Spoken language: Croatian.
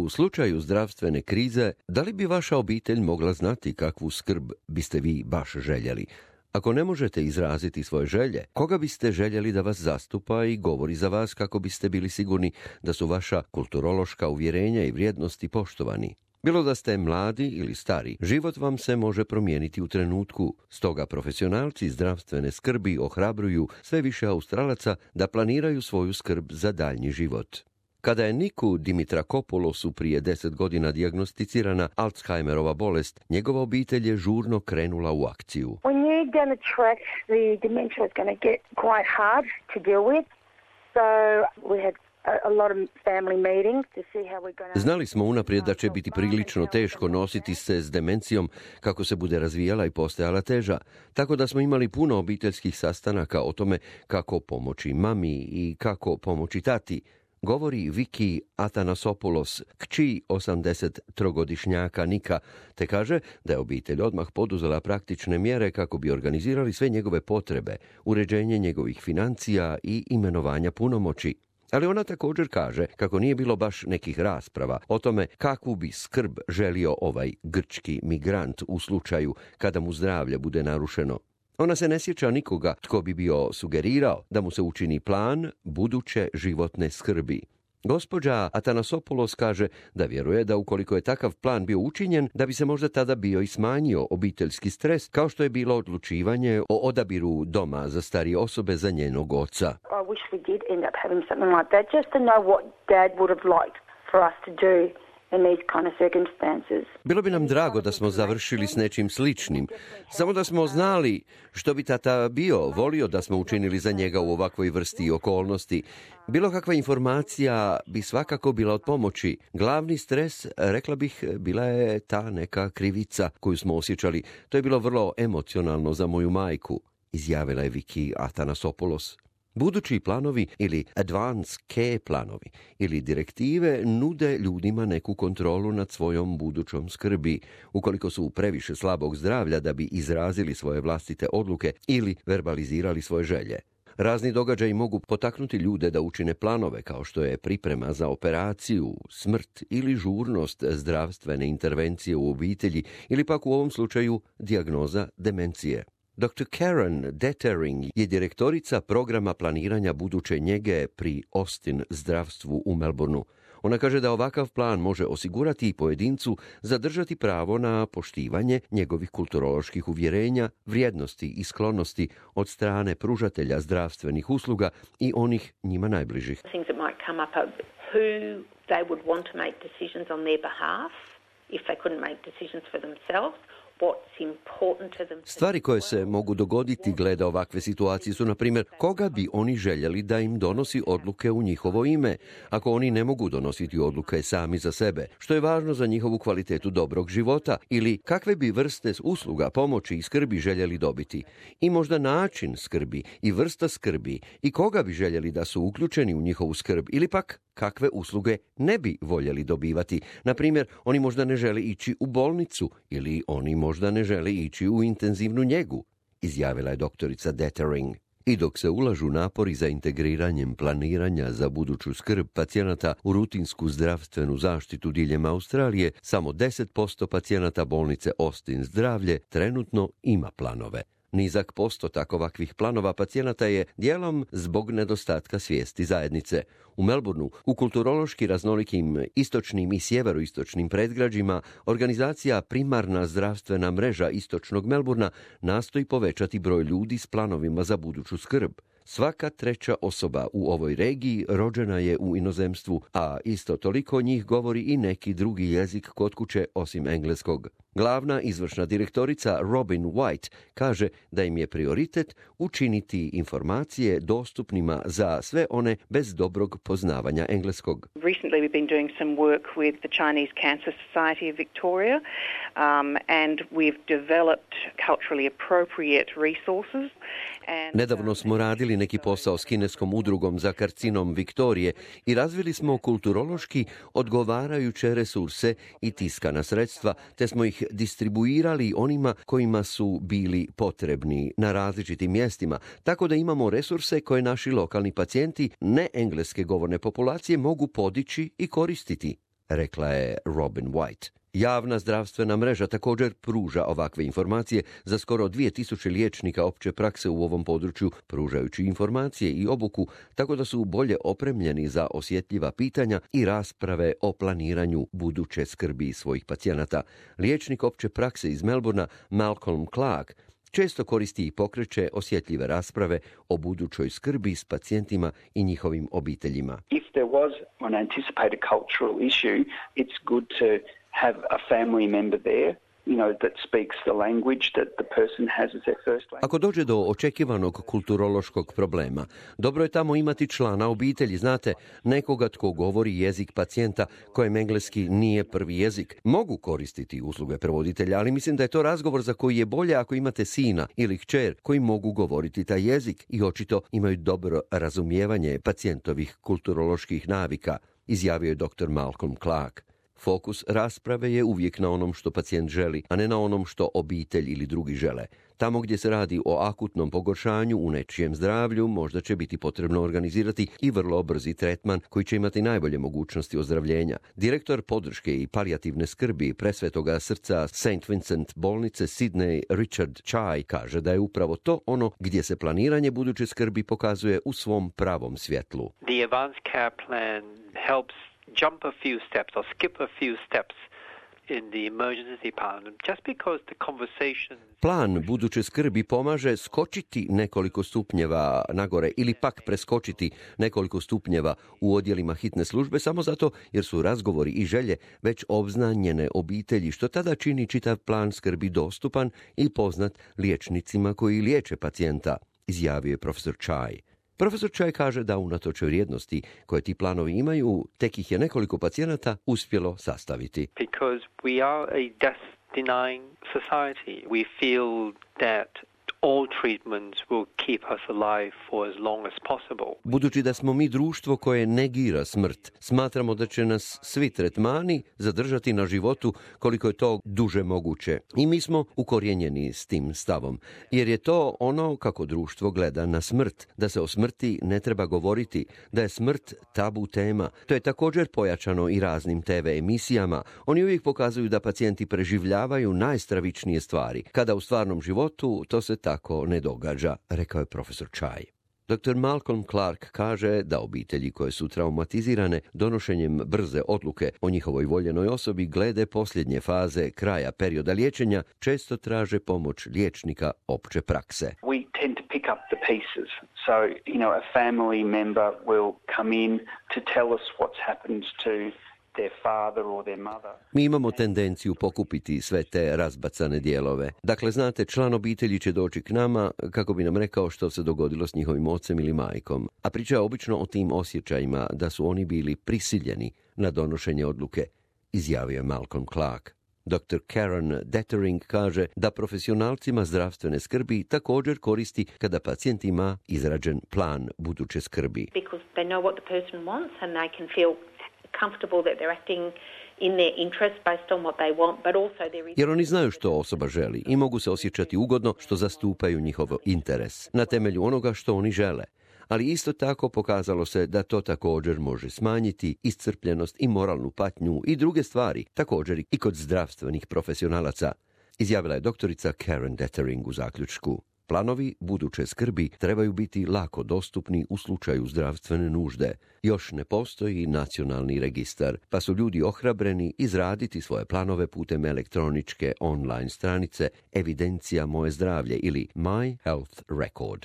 u slučaju zdravstvene krize, da li bi vaša obitelj mogla znati kakvu skrb biste vi baš željeli? Ako ne možete izraziti svoje želje, koga biste željeli da vas zastupa i govori za vas kako biste bili sigurni da su vaša kulturološka uvjerenja i vrijednosti poštovani? Bilo da ste mladi ili stari, život vam se može promijeniti u trenutku, stoga profesionalci zdravstvene skrbi ohrabruju sve više Australaca da planiraju svoju skrb za daljnji život. Kada je Niku Dimitrakopoulosu prije 10 godina dijagnosticirana Alzheimerova bolest, njegova obitelj je žurno krenula u akciju. We knew down the track the dementia was going to get quite hard to deal with, so we had a lot of family meetings to see how we're going to... Znali smo unaprijed da će biti prilično teško nositi se s demencijom kako se bude razvijala i postajala teža, tako da smo imali puno obiteljskih sastanaka o tome kako pomoći mami i kako pomoći tati, govori Viki Athanasopoulos, kći 83-godišnjaka Nika, te kaže da je obitelj odmah poduzela praktične mjere kako bi organizirali sve njegove potrebe, uređenje njegovih financija i imenovanja punomoći. Ali ona također kaže kako nije bilo baš nekih rasprava o tome kakvu bi skrb želio ovaj grčki migrant u slučaju kada mu zdravlje bude narušeno. Ona se ne sjeća nikoga tko bi bio sugerirao da mu se učini plan buduće životne skrbi. Gospođa Athanasopoulos kaže da vjeruje da ukoliko je takav plan bio učinjen, da bi se možda tada bio i smanjio obiteljski stres, kao što je bilo odlučivanje o odabiru doma za starije osobe za njenog oca. I wish we did end up having something like that, just to know what Dad would have liked for us to do in these kind of circumstances. Bilo bi nam drago da smo završili s nečim sličnim, samo da smo znali što bi tata volio da smo učinili za njega u ovakvoj vrsti okolnosti. Bilo kakva informacija bi svakako bila od pomoći. Glavni stres, rekla bih, bila je ta neka krivica koju smo osjećali. To je bilo vrlo emocionalno za moju majku, izjavila je Viki Athanasopoulos. Budući planovi ili advance care planovi ili direktive nude ljudima neku kontrolu nad svojom budućom skrbi, ukoliko su previše slabog zdravlja da bi izrazili svoje vlastite odluke ili verbalizirali svoje želje. Razni događaji mogu potaknuti ljude da učine planove kao što je priprema za operaciju, smrt ili žurnost zdravstvene intervencije u obitelji ili pak u ovom slučaju dijagnoza demencije. Dr. Karen Detering je direktorica programa planiranja buduće njege pri Austin zdravstvu u Melbourneu. Ona kaže da ovakav plan može osigurati i pojedincu zadržati pravo na poštivanje njegovih kulturoloških uvjerenja, vrijednosti i sklonosti od strane pružatelja zdravstvenih usluga i onih njima najbližih. Things that might come up are who they would want to make decisions on their behalf if they couldn't make decisions for themselves. Stvari koje se mogu dogoditi glede ovakve situacije su, na primjer, koga bi oni željeli da im donosi odluke u njihovo ime, ako oni ne mogu donositi odluke sami za sebe, što je važno za njihovu kvalitetu dobrog života, ili kakve bi vrste usluga, pomoći i skrbi željeli dobiti, i možda način skrbi i vrsta skrbi i koga bi željeli da su uključeni u njihovu skrb, ili pak kakve usluge ne bi voljeli dobivati. Na primjer, oni možda ne žele ići u bolnicu ili oni možda ne žele ići u intenzivnu njegu, izjavila je doktorica Detering. I dok se ulažu napori za integriranjem planiranja za buduću skrb pacijenata u rutinsku zdravstvenu zaštitu diljem Australije, samo 10% pacijenata bolnice Austin zdravlje trenutno ima planove. Nizak postotak ovakvih planova pacijenata je dijelom zbog nedostatka svijesti zajednice. U Melbourneu, u kulturološki raznolikim istočnim i sjeveroistočnim predgrađima, organizacija Primarna zdravstvena mreža istočnog Melbourna nastoji povećati broj ljudi s planovima za buduću skrb. Svaka treća osoba u ovoj regiji rođena je u inozemstvu, a isto toliko njih govori i neki drugi jezik kod kuće osim engleskog. Glavna izvršna direktorica Robin White kaže da im je prioritet učiniti informacije dostupnima za sve one bez dobrog poznavanja engleskog. Recently we've been doing some work with the Chinese Cancer Society of Victoria and we've developed culturally appropriate resources. Nedavno smo radili neki posao s kineskom udrugom za karcinom Viktorije i razvili smo kulturološki odgovarajuće resurse i tiskana sredstva, te smo ih distribuirali onima kojima su bili potrebni na različitim mjestima, tako da imamo resurse koje naši lokalni pacijenti ne engleske govorne populacije mogu podići i koristiti. rekla je Robin White. Javna zdravstvena mreža također pruža ovakve informacije za skoro 2000 liječnika opće prakse u ovom području, pružajući informacije i obuku, tako da su bolje opremljeni za osjetljiva pitanja i rasprave o planiranju buduće skrbi svojih pacijenata. Liječnik opće prakse iz Melbourna, Malcolm Clark, često koristi i pokreće osjetljive rasprave o budućoj skrbi s pacijentima i njihovim obiteljima. If there was an anticipated cultural issue, it's good to have a family member there, that speaks the language that the person has as their first language. Ako dođe do očekivanog kulturološkog problema, dobro je tamo imati člana obitelji, znate, nekoga tko govori jezik pacijenta kojem engleski nije prvi jezik. Mogu koristiti usluge prevoditelja, ali mislim da je to razgovor za koji je bolje ako imate sina ili kćer koji mogu govoriti taj jezik i očito imaju dobro razumijevanje pacijentovih kulturoloških navika, izjavio je dr. Malcolm Clark. Fokus rasprave je uvijek na onom što pacijent želi, a ne na onom što obitelj ili drugi žele. Tamo gdje se radi o akutnom pogoršanju u nečijem zdravlju, možda će biti potrebno organizirati i vrlo brzi tretman koji će imati najbolje mogućnosti ozdravljenja. Direktor podrške i palijativne skrbi Presvetoga srca St. Vincent bolnice Sydney, Richard Chai, kaže da je upravo to ono gdje se planiranje buduće skrbi pokazuje u svom pravom svjetlu. The advanced care plan helps jump a few steps or skip a few steps in the emergency department just because the conversation. Plan buduće skrbi pomaže skočiti nekoliko stupnjeva nagore ili pak preskočiti nekoliko stupnjeva u odjelima hitne službe samo zato jer su razgovori i želje već obznanjene obitelji, što tada čini čitav plan skrbi dostupan i poznat liječnicima koji liječe pacijenta, izjavio je profesor Chai. Profesor Chai kaže da unatoč vrijednosti koje ti planovi imaju, tek ih je nekoliko pacijenata uspjelo sastaviti. Because we are a death-denying society. We feel that all treatments will keep us alive for as long as possible. Budući da smo mi društvo koje negira smrt, smatramo da će nas svi tretmani zadržati na životu koliko je to duže moguće. I mi smo ukorijenjeni s tim stavom, jer je to ono kako društvo gleda na smrt, da se o smrti ne treba govoriti, da je smrt tabu tema. To je također pojačano i raznim TV emisijama. Oni uvijek pokazuju da pacijenti preživljavaju najstravičnije stvari, kada u stvarnom životu to se tako ne događa, rekao je profesor Chai. Dr. Malcolm Clark kaže da obitelji koje su traumatizirane donošenjem brze odluke o njihovoj voljenoj osobi glede posljednje faze kraja perioda liječenja često traže pomoć liječnika opće prakse. We tend to pick up the pieces. So, a family member will come in to tell us what's happened to their father or their mother. Mi imamo tendenciju pokupiti sve te razbacane dijelove. Dakle, znate, član obitelji će doći k nama kako bi nam rekao što se dogodilo s njihovim ocem ili majkom. A priča je obično o tim osjećajima da su oni bili prisiljeni na donošenje odluke, izjavio je Malcolm Clark. Dr. Karen Detering kaže da profesionalcima zdravstvene skrbi također koristi kada pacijent ima izrađen plan buduće skrbi. Because they know what the person wants and they can feel comfortable that they're acting in their interest based on what they want, but also there is... Jer oni znaju što osoba želi i mogu se osjećati ugodno što zastupaju njihov interes na temelju onoga što oni žele. Ali isto tako pokazalo se da to također može smanjiti iscrpljenost i moralnu patnju i druge stvari, također i kod zdravstvenih profesionalaca, izjavila je doktorica Karen Detering u zaključku. Planovi buduće skrbi trebaju biti lako dostupni u slučaju zdravstvene nužde. Još ne postoji nacionalni registar, pa su ljudi ohrabreni izraditi svoje planove putem elektroničke online stranice Evidencija moje zdravlje ili My Health Record.